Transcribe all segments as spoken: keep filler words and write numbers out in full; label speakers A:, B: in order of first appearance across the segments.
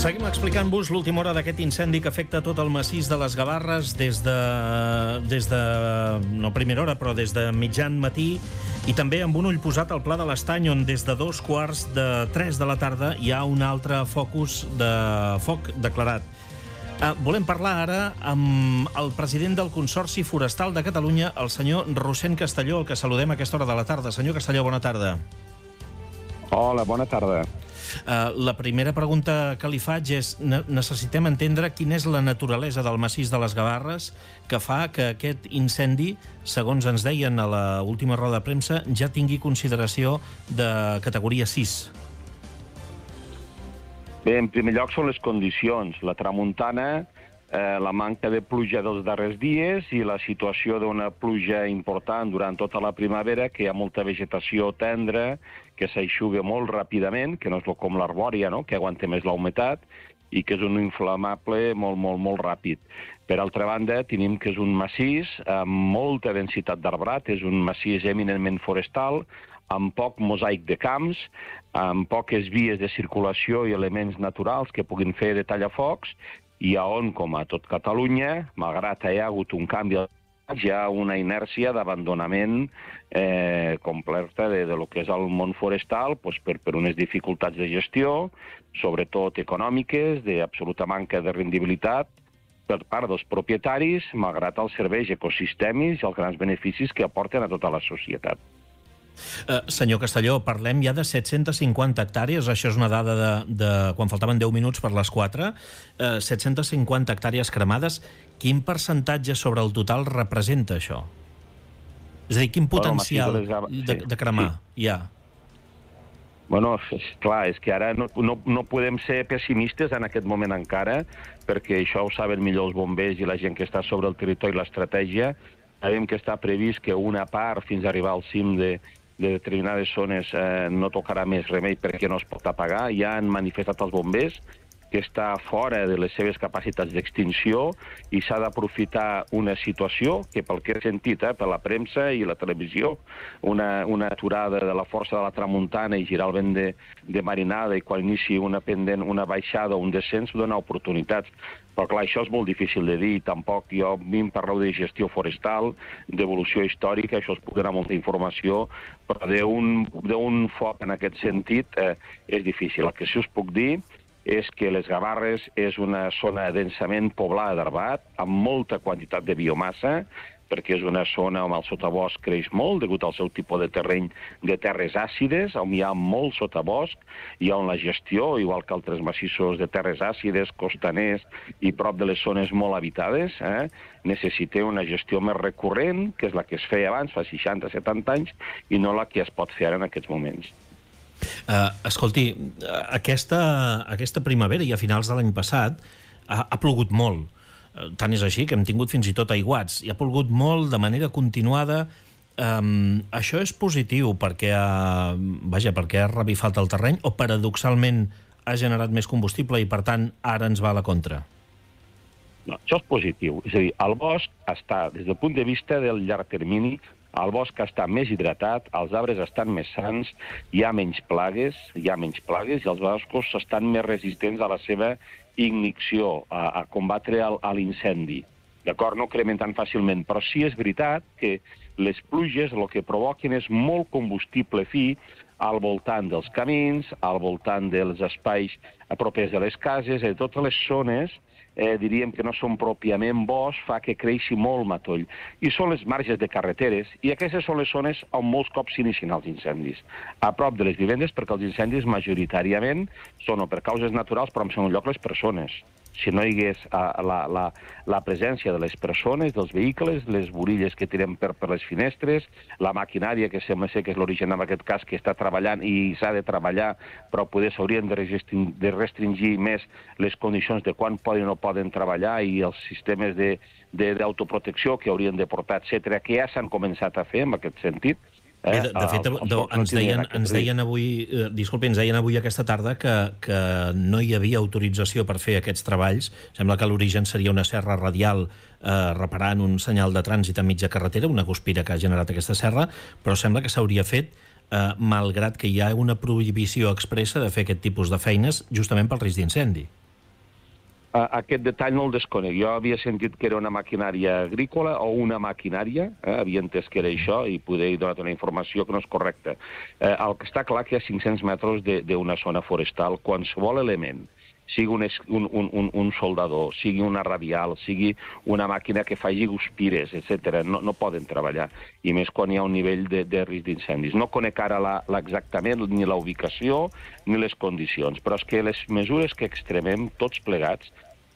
A: Seguim explicant-vos l'última hora d'aquest incendi que afecta tot el massís de les Gavarres des de, des de, no primera hora, però des de mitjan matí, i també amb un ull posat al Pla de l'Estany, on des de dos quarts de tres de la tarda hi ha un altre focus de foc declarat. Uh, volem parlar ara amb el president del Consorci Forestal de Catalunya, el senyor Rossend Castelló, el que saludem a aquesta hora de la tarda. Senyor Castelló, bona tarda.
B: Hola, bona tarda.
A: Uh, la primera pregunta que li faig és: ne necessitem entendre quina és la naturalesa del massís de les Gavarres que fa que aquest incendi, segons ens deien a l'última roda de premsa, ja tingui consideració de categoria sis.
B: Bé, en primer lloc són les condicions. La tramuntana, eh, la manca de pluja dels darrers dies i la situació d'una pluja important durant tota la primavera, que hi ha molta vegetació tendra, que s'aixuga molt ràpidament, que no és com l'arbòria, no?, que aguanta més la humitat, i que és un inflamable molt, molt, molt ràpid. Per altra banda, tenim que és un massís amb molta densitat d'arbrat, és un massís eminentment forestal, amb poc mosaic de camps, amb poques vies de circulació i elements naturals que puguin fer de tallafocs, i on, com a tot Catalunya, malgrat hi ha hagut un canvi, hi ha una inèrcia d'abandonament eh, completa de, de lo que és el món forestal, doncs per, per unes dificultats de gestió, sobretot econòmiques, d'absoluta manca de rendibilitat per part dels propietaris, malgrat els serveis ecosistèmics i els grans beneficis que aporten a tota la societat.
A: Uh, senyor Castelló, parlem ja de set-centes cinquanta hectàrees, això és una dada de, de quan faltaven deu minuts per les quatre, uh, set-centes cinquanta hectàrees cremades. Quin percentatge sobre el total representa això? És a dir, quin potencial bueno, de, de, de cremar sí. hi ha?
B: Bueno, és clar, és que ara no, no, no podem ser pessimistes en aquest moment encara, perquè això ho saben millor els bombers i la gent que està sobre el territori i l'estratègia. Sabem que està previst que una part, fins a arribar al cim de, de determinades zones, eh, no tocarà més remei perquè no es pot apagar. Ja han manifestat els bombers que està fora de les seves capacitats d'extinció i s'ha d'aprofitar una situació que, pel que he sentit, eh, per la premsa i la televisió, una, una aturada de la força de la tramuntana i girar el vent de, de marinada i quan inici una pendent, una baixada o un descens, dona oportunitats. Però clar, això és molt difícil de dir, tampoc jo a mi em parleu de gestió forestal, d'evolució històrica, això es pot donar molta informació, però d'un foc en aquest sentit eh, és difícil. El que sí us puc dir és que les Gavarres és una zona densament poblada d'arbat, amb molta quantitat de biomassa, perquè és una zona on el sotabosc creix molt, degut al seu tipus de terreny de terres àcides, on hi ha molt sotabosc, i on la gestió, igual que altres massissos de terres àcides, costaners i prop de les zones molt habitades, eh, necessita una gestió més recurrent, que és la que es feia abans, fa seixanta setanta anys, i no la que es pot fer ara en aquests moments.
A: Uh, escolti, aquesta, aquesta primavera i a finals de l'any passat ha, ha plogut molt. Uh, tant és així que hem tingut fins i tot aiguats. I ha plogut molt de manera continuada. Um, això és positiu perquè ha, vaja, perquè ha revifat el terreny o paradoxalment ha generat més combustible i per tant ara ens va a la contra?
B: No, això és positiu. És a dir, el bosc està, des del punt de vista del llarg termini, el bosc està més hidratat, els arbres estan més sans, hi ha menys plagues, hi ha menys plagues i els boscos estan més resistents a la seva ignició, a, a combatre l'incendi. D'acord? No cremen tan fàcilment, però sí és veritat que les pluges el que provoquen és molt combustible fi al voltant dels camins, al voltant dels espais propers de les cases, de totes les zones, eh, diríem que no són pròpiament bosc, fa que creixi molt matoll. I són les marges de carreteres, i aquestes són les zones on molts cops s'inicien els incendis. A prop de les vivendes, perquè els incendis majoritàriament són o per causes naturals, però en segon lloc les persones. Si no hi hagués uh, la, la, la presència de les persones, dels vehicles, les burilles que tirem per, per les finestres, la maquinària, que sembla ser que és l'origen en aquest cas, que està treballant i s'ha de treballar, però poder s'haurien de, de restringir més les condicions de quan poden o no poden treballar i els sistemes d'autoprotecció que haurien de portar, etcètera, que ja s'han començat a fer en aquest sentit.
A: Eh? Bé, de, de fet, els, els ens, deien, ens deien avui, eh, disculpi, ens deien avui aquesta tarda que, que no hi havia autorització per fer aquests treballs. Sembla que l'origen seria una serra radial eh, reparant un senyal de trànsit a mitja carretera, una guspira que ha generat aquesta serra, però sembla que s'hauria fet eh, malgrat que hi ha una prohibició expressa de fer aquest tipus de feines justament pel risc d'incendi.
B: Aquest detall no el desconec. Jo havia sentit que era una maquinària agrícola o una maquinària, eh? havia entès que era això i poder donar una informació que no és correcta. Eh, el que està clar que hi ha cinc-cents metres d'una zona forestal, qualsevol element, sigui un, un, un, un soldador, sigui una radial, sigui una màquina que faci guspires, etcètera, no, no poden treballar, i més quan hi ha un nivell de, de risc d'incendis. No conec ara la, la exactament ni la ubicació ni les condicions, però és que les mesures que extremem tots plegats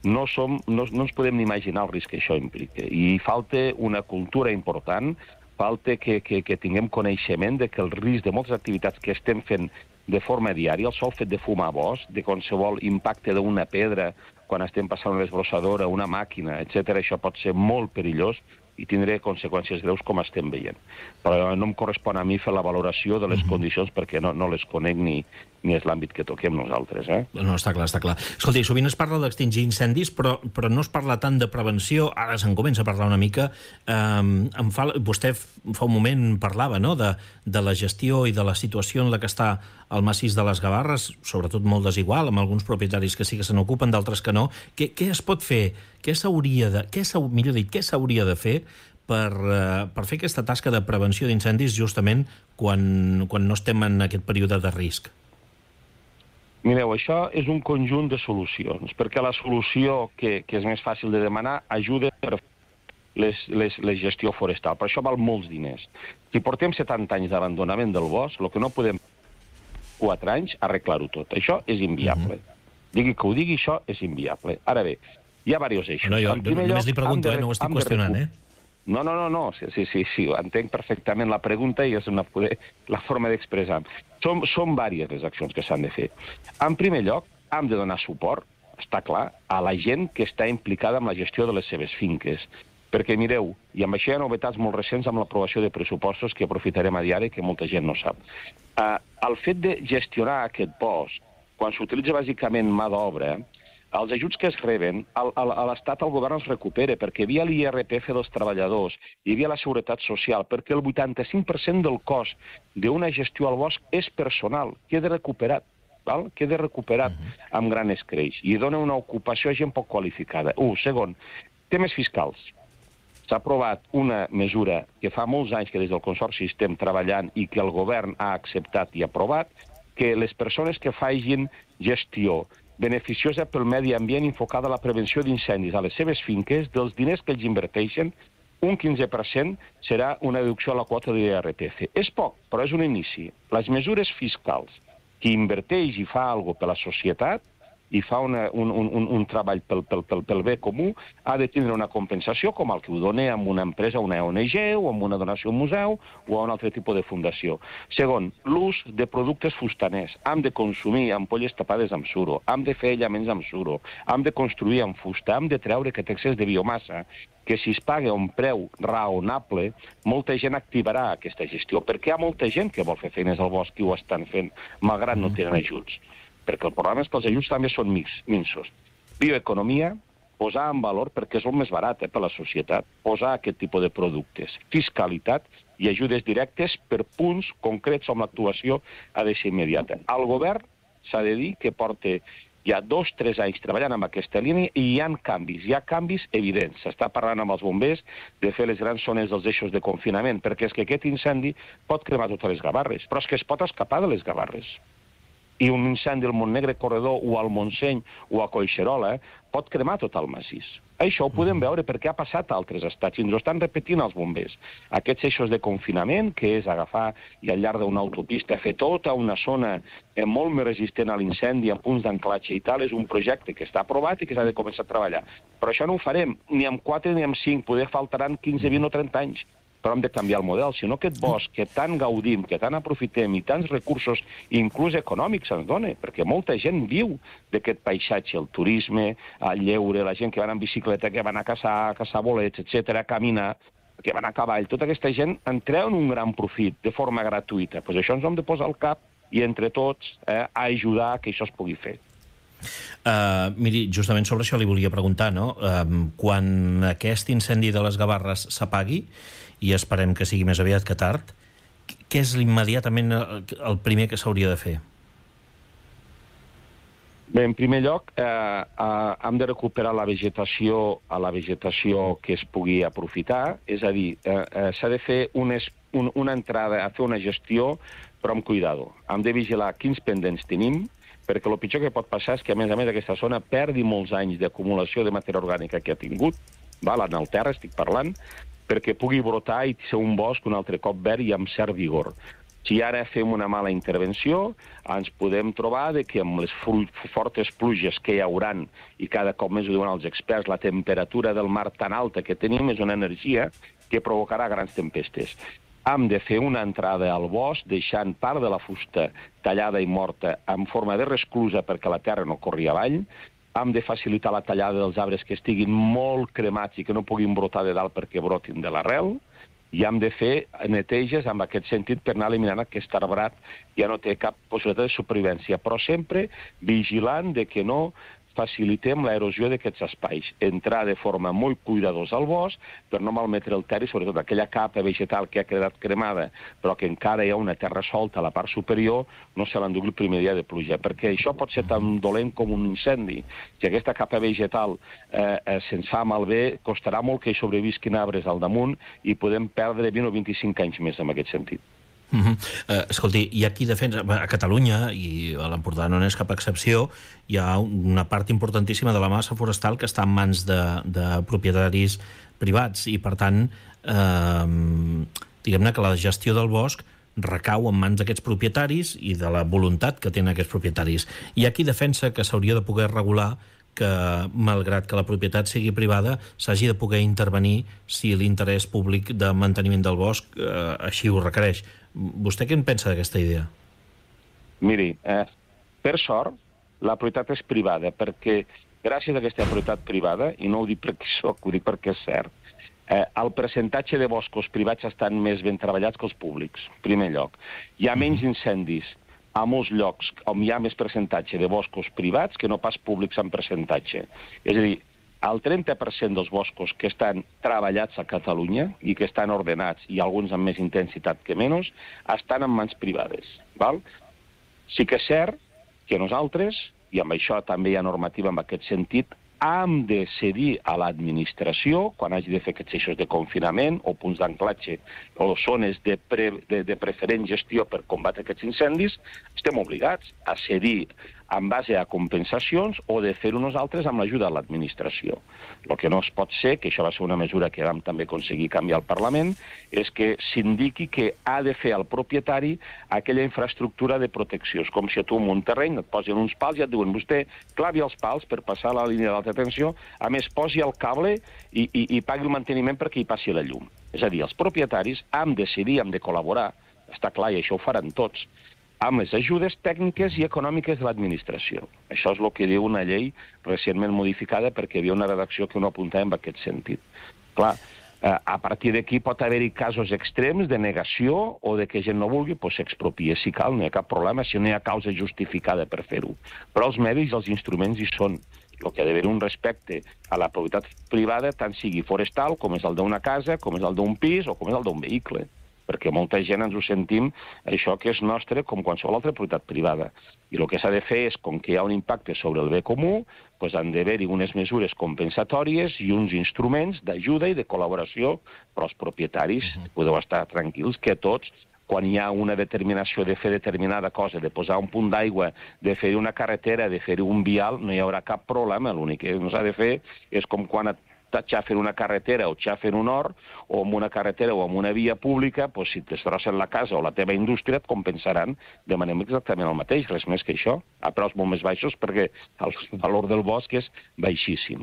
B: no, som, no, no ens podem ni imaginar el risc que això implica. I falta una cultura important, falta que, que, que tinguem coneixement de que el risc de moltes activitats que estem fent de forma diària, el sol fet de fumar bosc, de qualsevol impacte d'una pedra quan estem passant una desbrossadora, una màquina, etcètera, això pot ser molt perillós i tindré conseqüències greus com estem veient. Però no em correspon a mi fer la valoració de les condicions perquè no, no les conec ni, ni és l'àmbit que toquem nosaltres. Eh?
A: No, està clar, està clar. Escolti, sovint es parla d'extingir incendis, però, però no es parla tant de prevenció. Ara se'n comença a parlar una mica. Um, em fa, vostè fa un moment parlava, no?, de, de la gestió i de la situació en la que està el massís de les Gavarres, sobretot molt desigual, amb alguns propietaris que sí que se n'ocupen, d'altres que no. Què, què es pot fer? Què s'hauria de, què millor dit, què s'hauria de fer per, uh, per fer aquesta tasca de prevenció d'incendis justament quan, quan no estem en aquest període de risc?
B: Mireu, això és un conjunt de solucions, perquè la solució que, que és més fàcil de demanar ajuda per les, les, la gestió forestal, però això val molts diners. Si portem setanta anys d'abandonament del bosc, el que no podem quatre anys arreglar-ho tot. Això és inviable. Uh-huh. Digui que ho digui, això és inviable. Ara bé, hi ha diversos eixos.
A: No, jo només lloc, li pregunto, de, eh? No ho estic qüestionant, eh?
B: No, no, no, no. Sí, sí, sí, sí, entenc perfectament la pregunta i és una, la forma d'expressar. Són, són diverses les accions que s'han de fer. En primer lloc, hem de donar suport, està clar, a la gent que està implicada en la gestió de les seves finques. Perquè, mireu, i amb això hi ha novetats molt recents amb l'aprovació de pressupostos que aprofitarem a diari que molta gent no sap. Uh, el fet de gestionar aquest bosc, quan s'utilitza bàsicament mà d'obra, els ajuts que es reben, a l'Estat el govern els recupera, perquè hi havia l'I R P F dels treballadors, hi havia la Seguretat Social, perquè el vuitanta-cinc per cent del cost d'una gestió al bosc és personal, queda recuperat, val? queda recuperat amb gran escreix, i dona una ocupació a gent poc qualificada. Un, segon, temes fiscals. S'ha aprovat una mesura que fa molts anys que des del Consorci estem treballant i que el govern ha acceptat i aprovat, que les persones que facin gestió beneficiosa pel medi ambient enfocada a la prevenció d'incendis a les seves finques, dels diners que ells inverteixen, un quinze per cent serà una deducció a la quota de l'I R P F. És poc, però és un inici. Les mesures fiscals, qui inverteix i fa alguna cosa per la societat, i fa una, un, un, un treball pel, pel, pel, pel bé comú, ha de tindre una compensació com el que ho dona amb una empresa, una O N G, o amb una donació a un museu, o a un altre tipus de fundació. Segon, l'ús de productes fustaners. Hem de consumir ampolles tapades amb suro, hem de fer aïllaments amb suro, hem de construir amb fusta, hem de treure aquest excés de biomassa, que si es paga un preu raonable, molta gent activarà aquesta gestió, perquè hi ha molta gent que vol fer feines al bosc i ho estan fent, malgrat no tenen ajuts. Perquè el problema és que els ajuts també són minsos. Bioeconomia, posar en valor, perquè és el més barat eh, per a la societat, posar aquest tipus de productes. Fiscalitat i ajudes directes per punts concrets on l'actuació ha de ser immediata. El govern s'ha de dir que porta ja dos o tres anys treballant amb aquesta línia i hi ha canvis, hi ha canvis evidents. S'està parlant amb els bombers de fer les grans zones dels eixos de confinament, perquè és que aquest incendi pot cremar totes les Gavarres, però és que es pot escapar de les Gavarres. I un incendi al Montnegre Corredor o al Montseny o a Collserola eh, pot cremar tot el massís. Això ho podem veure perquè ha passat a altres estats i ens ho estan repetint els bombers. Aquests eixos de confinament, que és agafar i al llarg d'una autopista fer tota una zona eh, molt més resistent a l'incendi, amb punts d'anclatge i tal, és un projecte que està aprovat i que s'ha de començar a treballar. Però això no ho farem ni amb quatre ni amb cinc, poder faltaran quinze, vint o trenta anys. Però hem de canviar el model, sinó aquest bosc que tant gaudim, que tant aprofitem i tants recursos, inclús econòmics, ens dona, perquè molta gent viu d'aquest paisatge, el turisme, el lleure, la gent que van en bicicleta, que van a caçar, a caçar bolets, etcètera, a caminar, que van a cavall, tota aquesta gent en treuen un gran profit de forma gratuïta. Pues això ens hem de posar al cap i entre tots eh, a ajudar que això es pugui fer.
A: Uh, miri, justament sobre això li volia preguntar, no? Uh, quan aquest incendi de les Gavarres s'apagui, i esperem que sigui més aviat que tard, què és immediatament el primer que s'hauria de fer?
B: Bé, en primer lloc, eh, eh, hem de recuperar la vegetació a la vegetació que es pugui aprofitar, és a dir, eh, eh, s'ha de fer unes, un, una entrada a fer una gestió, però amb cuidado. Hem de vigilar quins pendents tenim, perquè el pitjor que pot passar és que, a més a més, aquesta zona perdi molts anys d'acumulació de matèria orgànica que ha tingut, val? En el terra estic parlant, perquè pugui brotar i ser un bosc un altre cop verd i amb cert vigor. Si ara fem una mala intervenció, ens podem trobar de que amb les fortes pluges que hi hauran, i cada cop més ho diuen els experts, la temperatura del mar tan alta que tenim és una energia que provocarà grans tempestes. Hem de fer una entrada al bosc deixant part de la fusta tallada i morta en forma de resclusa perquè la terra no corri avall. Hem de facilitar la tallada dels arbres que estiguin molt cremats i que no puguin brotar de dalt perquè brotin de l'arrel. I hem de fer neteges en aquest sentit per anar eliminant aquest arbrat que ja no té cap possibilitat de supervivència, però sempre vigilant de que no facilitem l'erosió d'aquests espais. Entrar de forma molt cuidadosa al bosc per no malmetre el terra i sobretot aquella capa vegetal que ha quedat cremada però que encara hi ha una terra solta a la part superior no se l'endugui el primer dia de pluja, perquè això pot ser tan dolent com un incendi. Si aquesta capa vegetal eh, eh, se'ns fa malbé, costarà molt que hi sobrevisquin arbres al damunt i podem perdre vint o vint-i-cinc anys més en aquest sentit.
A: Uh -huh. uh, escolti, hi ha qui defensa... A Catalunya, i a l'Empordà no n'és cap excepció, hi ha una part importantíssima de la massa forestal que està en mans de, de propietaris privats i, per tant, eh, diguem-ne que la gestió del bosc recau en mans d'aquests propietaris i de la voluntat que tenen aquests propietaris. Hi ha qui defensa que s'hauria de poder regular que, malgrat que la propietat sigui privada, s'hagi de poder intervenir si l'interès públic de manteniment del bosc eh, així ho requereix. Vostè què en pensa d'aquesta idea?
B: Miri, eh, per sort, la propietat és privada, perquè gràcies a aquesta propietat privada, i no ho dic perquè soc, ho dic perquè és cert, eh, el percentatge de boscos privats estan més ben treballats que els públics, en primer lloc. Hi ha menys incendis a molts llocs on hi ha més percentatge de boscos privats que no pas públics en percentatge. És a dir, el trenta per cent dels boscos que estan treballats a Catalunya i que estan ordenats, i alguns amb més intensitat que menys, estan en mans privades. Val? Sí que és cert que nosaltres, i amb això també hi ha normativa en aquest sentit, hem de cedir a l'administració, quan hagi de fer aquests eixos de confinament o punts d'anclatge o zones de, pre, de, de preferent gestió per combatre aquests incendis, estem obligats a cedir en base a compensacions o de fer-ho nosaltres amb l'ajuda de l'administració. El que no es pot ser, que això va ser una mesura que vam també aconseguir canviar al Parlament, és que s'indiqui que ha de fer el propietari aquella infraestructura de protecció. És com si a tu en un terreny et posin uns pals i et diuen vostè clavi els pals per passar la línia d'alta tensió, a més posi el cable i, i, i pagui el manteniment perquè hi passi la llum. És a dir, els propietaris hem de decidir, hem de col·laborar, està clar, i això ho faran tots, amb les ajudes tècniques i econòmiques de l'administració. Això és el que diu una llei recentment modificada perquè hi havia una redacció que no apuntava en aquest sentit. Clar, a partir d'aquí pot haver-hi casos extrems de negació o de que gent no vulgui, doncs s'expropia si cal, no hi ha cap problema, si no hi ha causa justificada per fer-ho. Però els medis i els instruments hi són. El que ha d'haver un respecte a la propietat privada, tant sigui forestal, com és el d'una casa, com és el d'un pis o com és el d'un vehicle. Perquè molta gent ens ho sentim, això que és nostre com qualsevol altra propietat privada. I el que s'ha de fer és, com que hi ha un impacte sobre el bé comú, doncs han d'haver-hi unes mesures compensatòries i uns instruments d'ajuda i de col·laboració, però els propietaris podeu estar tranquils que tots, quan hi ha una determinació de fer determinada cosa, de posar un punt d'aigua, de fer una carretera, de fer un vial, no hi haurà cap problema. L'únic que no s'ha de fer és com quan et xafen una carretera o xafen un hort, o amb una carretera o amb una via pública, doncs si destrossen la casa o la teva indústria et compensaran de manera exactament el mateix, res més que això, a preus molt més baixos perquè el valor del bosc és baixíssim.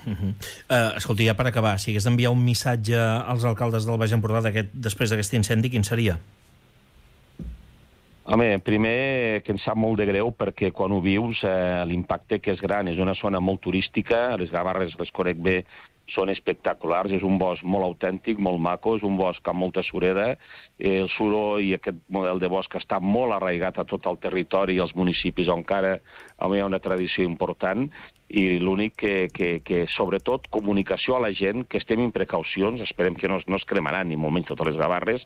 A: Uh -huh. uh, escolti, ja per acabar, si hagués d'enviar un missatge als alcaldes del Baix Empordà després d'aquest incendi, quin seria?
B: Home, primer que em sap molt de greu perquè quan ho vius eh, l'impacte que és gran. És una zona molt turística, les Gavarres, les conec bé, són espectaculars, és un bosc molt autèntic, molt maco, és un bosc amb molta sureda, eh, el suro i aquest model de bosc està molt arraigat a tot el territori i als municipis on encara hi ha una tradició important, i l'únic que, que, que, sobretot, comunicació a la gent, que estem en precaucions, esperem que no, no es cremaran, ni molt menys totes les Gavarres,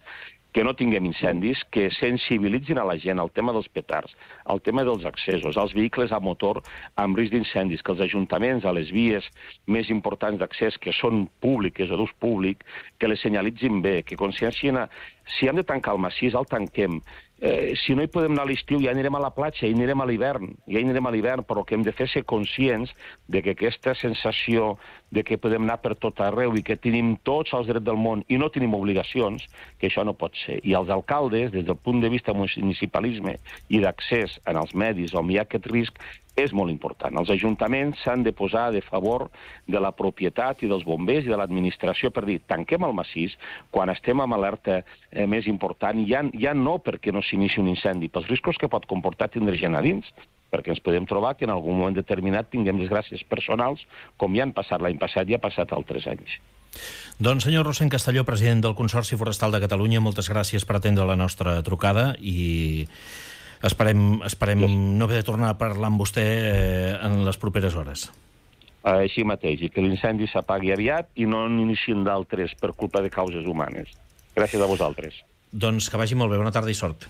B: que no tinguem incendis, que sensibilitzin a la gent al tema dels petards, al tema dels accessos, als vehicles a motor amb risc d'incendis, que els ajuntaments a les vies més importants d'accés, que són públiques o d'ús públic, que les senyalitzin bé, que consciencien a... Si hem de tancar el massís, el tanquem. Eh, si no hi podem anar a l'estiu, ja anirem a la platja, ja anirem a l'hivern, ja anirem a l'hivern, però el que hem de fer és ser conscients de que aquesta sensació de que podem anar per tot arreu i que tenim tots els drets del món i no tenim obligacions, que això no pot ser. I els alcaldes, des del punt de vista municipalisme i d'accés en els medis on hi ha aquest risc, és molt important. Els ajuntaments s'han de posar de favor de la propietat i dels bombers i de l'administració per dir, tanquem el massís quan estem amb alerta eh, més important, ja, ja no perquè no s'inici un incendi, pels riscos que pot comportar tindre gent a dins, perquè ens podem trobar que en algun moment determinat tinguem desgràcies personals, com ja han passat l'any passat i ha passat altres anys.
A: Doncs senyor Rossend Castelló, president del Consorci Forestal de Catalunya, moltes gràcies per atendre la nostra trucada i esperem, esperem no haver de tornar a parlar amb vostè eh, en les properes hores.
B: Així mateix, i que l'incendi s'apagui aviat i no n'inicien d'altres per culpa de causes humanes. Gràcies a vosaltres.
A: Doncs que vagi molt bé, bona tarda i sort.